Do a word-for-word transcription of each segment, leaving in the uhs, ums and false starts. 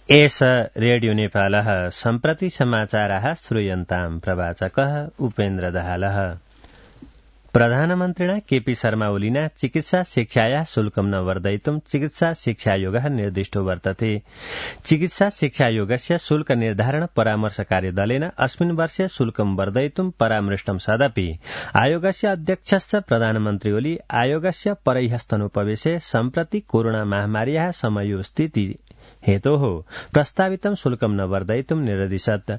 एष रेडियो नेपालः सम्प्रति समाचाराः श्रूयन्ताम् प्रवाचकः उपेन्द्र दाहालः। प्रधानमन्त्रिणा केपी शर्मा ओलिना चिकित्सा शिक्षायाः शुल्कं न वर्धयितुं चिकित्सा शिक्षायोगः निर्दिष्टो वर्तते। चिकित्सा शिक्षायोगस्य शुल्क निर्धारण परामर्श कार्यदलेन अस्मिन् वर्षे शुल्कं वर्धयितुं परामृष्टं सदपि आयोगस्य अध्यक्षश्च प्रधानमन्त्री ओली आयोगस्य परैहस्तनुपवेशे सम्प्रति कोरोना महामार्याः समयोस्थिति हेतोः प्रस्तावितं शुल्कं न वर्धयितुं निर्दिशत्।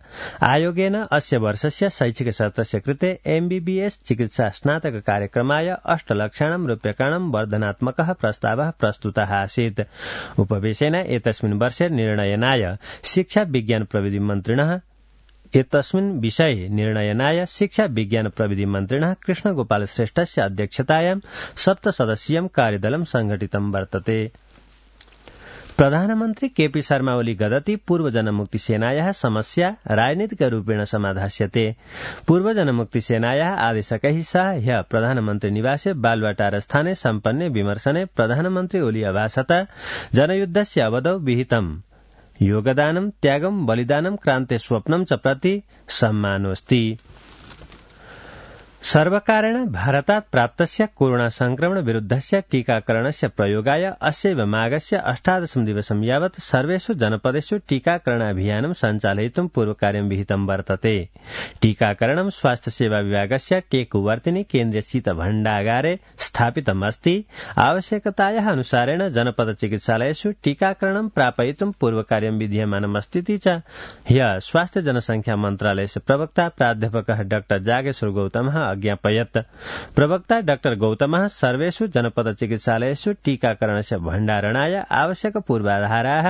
आयोगेन अस्य वर्षस्य शैक्षिक सत्रस्य कृते एमबीबीएस चिकित्सा स्नातक कार्यक्रमाय अष्टलक्षाणां रूप्यकाणां वर्धनात्मकः प्रस्तावः प्रस्तुतः आसीत्। उपवेशेन एतस्मिन् वर्षे निर्णयनाय शिक्षा विज्ञान प्रविधि मन्त्रिणः एतस्मिन् विषये निर्णयनाय शिक्षा विज्ञान प्रविधि मन्त्रिणः कृष्णगोपाल श्रेष्ठस्य अध्यक्षतायां सप्तसदस्यीयं कार्यदलं संघटितं वर्तते। प्रधानमन्त्री केपी शर्मा ओली गदति पूर्व जनमुक्ति सेनायाः समस्या राजनीतिकरूपेण समाधास्यते। पूर्व जनमुक्ति सेनायाः आदेशकैः सह ह्यः प्रधानमन्त्री निवासे बालुवाटारस्थाने सम्पन्ने विमर्शने प्रधानमन्त्री ओली अभाषत जनयुद्धस्य अवधौ विहितं योगदानं त्यागं बलिदानं क्रान्ते स्वप्नं च प्रति सम्मानोऽस्ति। सर्वकारेण भारतात् प्राप्तस्य कोरोना संक्रमण विरुद्धस्य टीकाकरणस्य प्रयोगाय अस्यैव माघस्य अष्टादशं दिवसं यावत् सर्वेषु जनपदेषु टीकाकरणाभियानं सञ्चालयितुं पूर्वकार्यं विहितं वर्तते। टीकाकरणं स्वास्थ्य सेवा विभागस्य टेकुवर्तिनि केन्द्रीय शीत भण्डागारे स्थापितमस्ति। आवश्यकतायाः अनुसारेण जनपद चिकित्सालयेषु टीकाकरणं प्रापयितुं पूर्वकार्यं विधीयमानमस्तीति च ह्यः स्वास्थ्य जनसंख्या मन्त्रालयस्य प्रवक्ता प्राध्यापकः डाक्टर जागेश्वर गौतमः अज्ञापयत्। प्रवक्ता डाक्टर गौतमः सर्वेषु जनपद चिकित्सालयेषु टीकाकरणस्य भण्डारणाय आवश्यक पूर्वाधाराः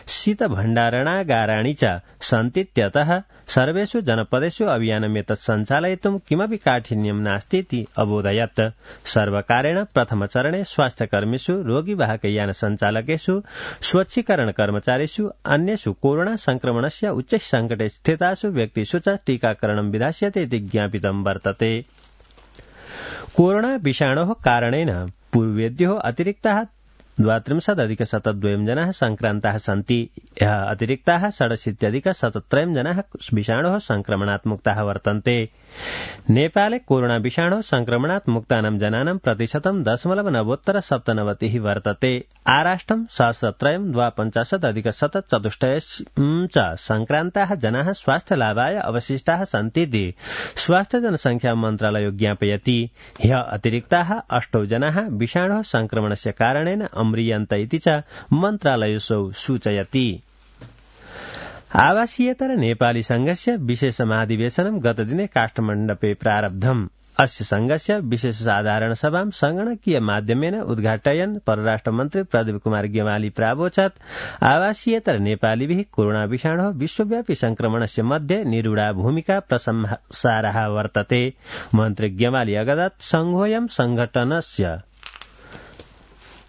शीत भण्डारणागाराणि च सन्तीत्यतः सर्वेषु जनपदेषु अभियानमेतत् सञ्चालयितुं किमपि काठिन्यं नास्तीति अबोधयत्। सर्वकारेण प्रथमचरणे स्वास्थ्यकर्मीषु रोगीवाहकयान सञ्चालकेषु स्वच्छीकरण कर्मचारीषु अन्येषु कोरोना संक्रमणस्य उच्च संकटे स्थितासु व्यक्तिषु च टीकाकरणं विधास्यते इति ज्ञापितं वर्तते। कोरोना विषाणोः कारणेन पूर्वेद्योः अतिरिक्ताः द्वात्रिंशदधिक शतद्वयं जनाः संक्रान्ताः सन्ति। यः अतिरिक्ताः षडशीत्यधिक शतत्रयं जनाः विषाणोः संक्रमणात् मुक्ताः वर्तन्ते। नेपाले कोरोना विषाणोः संक्रमणात् मुक्तानां जनानां प्रतिशतं दशमलव नवोत्तर सप्तनवतिः वर्तते। आराष्ट्रं सहस्रत्रयं द्वापञ्चाशदधिक शतचतुष्टयं च संक्रान्ताः जनाः स्वास्थ्यलाभाय अवशिष्टाः सन्तीति स्वास्थ्य जनसंख्या मन्त्रालयो ज्ञापयति। ह्यः अतिरिक्ताः अष्टौ जनाः विषाणोः संक्रमणस्य कारणेन अम्रियन्त इति च मन्त्रालयोऽसौ सूचयति। आवासीयतर नेपाली संघस्य विशेष महाधिवेशनं गतदिने काठमाडौँे प्रारब्धम्। अस्य संघस्य विशेष साधारण सभां संगणकीय माध्यमेन उद्घाटयन् परराष्ट्रमन्त्री प्रदीप कुमार गेवाली प्रावोचत् आवासीयतर नेपालीभिः कोरोना विषाणोः विश्वव्यापी संक्रमणस्य मध्ये निरूढा भूमिका प्रशंसार्हा वर्तते। मन्त्री गेवाली अगदत् संघोऽयं संघटनस्य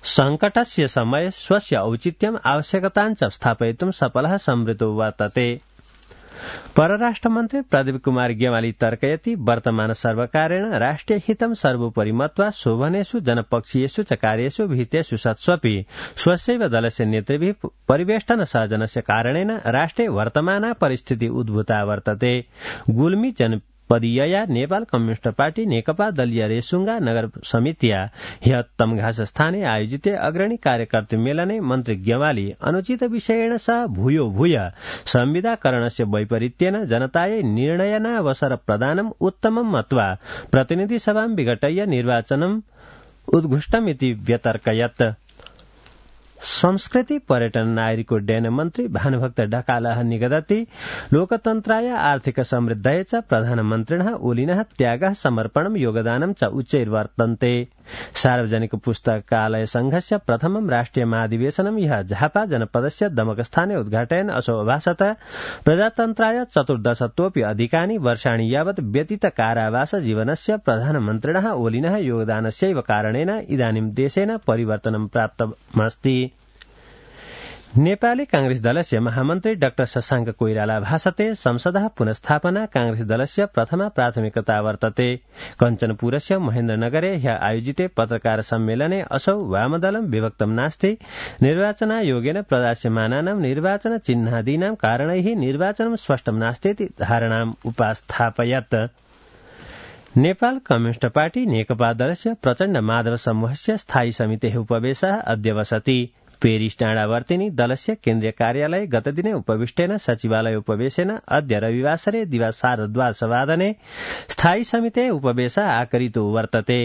संकटस्य समये स्वस्य औचित्यम् आवश्यकताञ्च स्थापयितुं सफलः संवृतो वर्तते। परराष्ट्रमन्त्री प्रदीप कुमार गेवाली तर्कयति वर्तमान सर्वकारेण राष्ट्रिय हितं सर्वोपरि मत्वा शोभनेषु जनपक्षीयेषु च कार्येषु विहितेषु सत्स्वपि स्वस्यैव दलस्य नेतृभिः परिवेष्टन सर्जनस्य कारणेन राष्ट्रे वर्तमाना परिस्थिति उद्भूता वर्तते। गुल्मी जन पदीयया नेपाल कम्युनिस्ट पार्टी नेकपा दलीय रेसुङ्गा नगर समितिया ह्यः तमघास स्थाने आयोजिते अग्रणी कार्यकर्तृ मेलने मन्त्री गेवाली अनुचित विषयेण सह भूयो भूय संविदाकरणस्य वैपरीत्येन जनतायै निर्णयनावसर प्रदानम् उत्तमं मत्वा प्रतिनिधि सभां विघटय्य निर्वाचनम् उद्घुष्टमिति व्यतर्कयत्। संस्कृति पर्यटन नागरिक उड्डयन मन्त्री भानुभक्त ढकालः निगदति लोकतन्त्राय आर्थिक समृद्धये च प्रधानमन्त्रिणः ओलिनः त्यागः समर्पणं योगदानं च उच्चैर्वर्तन्ते। सार्वजनिक पुस्तकालय संघस्य प्रथमं राष्ट्रिय महाधिवेशनं ह्यः झापा जनपदस्य दमकस्थाने उद्घाटयन् असौ अभाषत प्रजातन्त्राय चतुर्दशतोऽपि अधिकानि वर्षाणि यावत् व्यतीत कारावास जीवनस्य प्रधानमन्त्रिणः ओलिनः योगदानस्यैव कारणेन इदानीं देशेन परिवर्तनं प्राप्तमस्ति। नेपाली कांग्रेस दलस्य महामन्त्री डाक्टर शशाङ्क कोइराला भाषते संसदः पुनस्थापना कांग्रेस दलस्य प्रथमा प्राथमिकता वर्तते। कञ्चनपुरस्य महेन्द्रनगरे ह्य आयोजिते पत्रकार सम्मेलने असौ वामदलं विभक्तं नास्ति निर्वाचनायोगेन प्रदास्यमानानां निर्वाचन चिह्नादीनां कारणैः निर्वाचनं स्पष्टं नास्तीति धारणाम् उपास्थापयत्। नेपाल कम्युनिष्ट पार्टी नेकपा दलस्य प्रचण्ड माधव समूहस्य स्थायी समितेः उपवेशः अद्य वसति। पेरिस टाढावर्तिनी दलस्य केन्द्रीय कार्यालय गतदिने उपविष्टेन सचिवालय उपवेशेन अद्य रविवासरे दिवा सार्धद्वादशवादने स्थायी समिते उपवेश आकरितो वर्तते।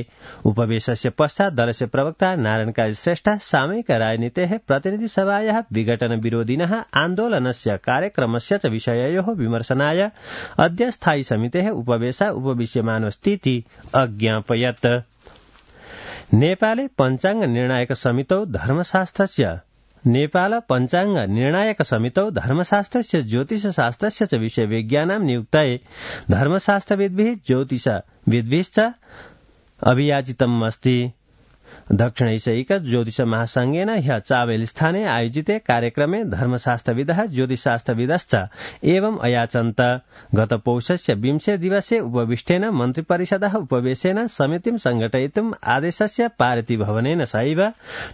उपवेशस्य पश्चात् दलस्य प्रवक्ता नारायण श्रेष्ठ सामयिक राजनीतेः प्रतिनिधि सभायाः विघटन विरोधिनः आन्दोलनस्य कार्यक्रमस्य च विषययोः विमर्शनाय अद्य स्थायी समितेः उपवेश उपविश्यमानोऽस्तीति अज्ञापयत्। नेपाले पञ्चाङ्ग निर्णायक समितौ धर्मशास्त्रस्य नेपाल पञ्चाङ्ग निर्णायक समितौ धर्मशास्त्रस्य ज्योतिषशास्त्रस्य च विषयविज्ञानां नियुक्तये धर्मशास्त्रविद्भिः ज्योतिषविद्भिश्च अभियाचितम् अस्ति। दक्षिण एशियैक ज्योतिष महासंघेन ह्य चावेल स्थाने आयोजिते कार्यक्रमे धर्मशास्त्रविदः ज्योतिषशास्त्रविदश्च एवम् अयाचन्त। गत पौषस्य विंशे दिवसे उपविष्टेन मन्त्रिपरिषदः उपवेशेन समितिं संघटयितुम् आदेशस्य पारितिभवनेन सहैव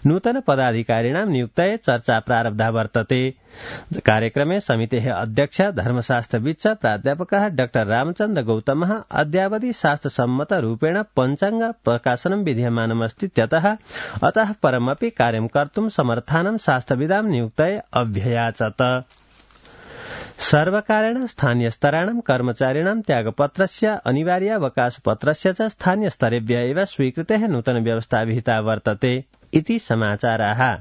नूतन पदाधिकारिणां नियुक्तये चर्चा प्रारब्धा वर्तते। कार्यक्रमे समितेः अध्यक्ष धर्मशास्त्रविद च प्राध्यापकः डाक्टर रामचन्द्र गौतमः अद्यावधि शास्त्रसम्मतरूपेण पञ्चाङ्ग प्रकाशनं विधीयमानमस्तीत्यतः अतः परमपि कार्यं कर्तुं समर्थानं शास्त्रविदां नियुक्तये अभ्ययाचत। सर्वकारेण स्थानीयस्तराणां कर्मचारिणां त्यागपत्रस्य अनिवार्यावकाशपत्रस्य च स्थानीयस्तरेभ्य एव स्वीकृतेः नूतनव्यवस्था विहिता वर्तते इति समाचाराः।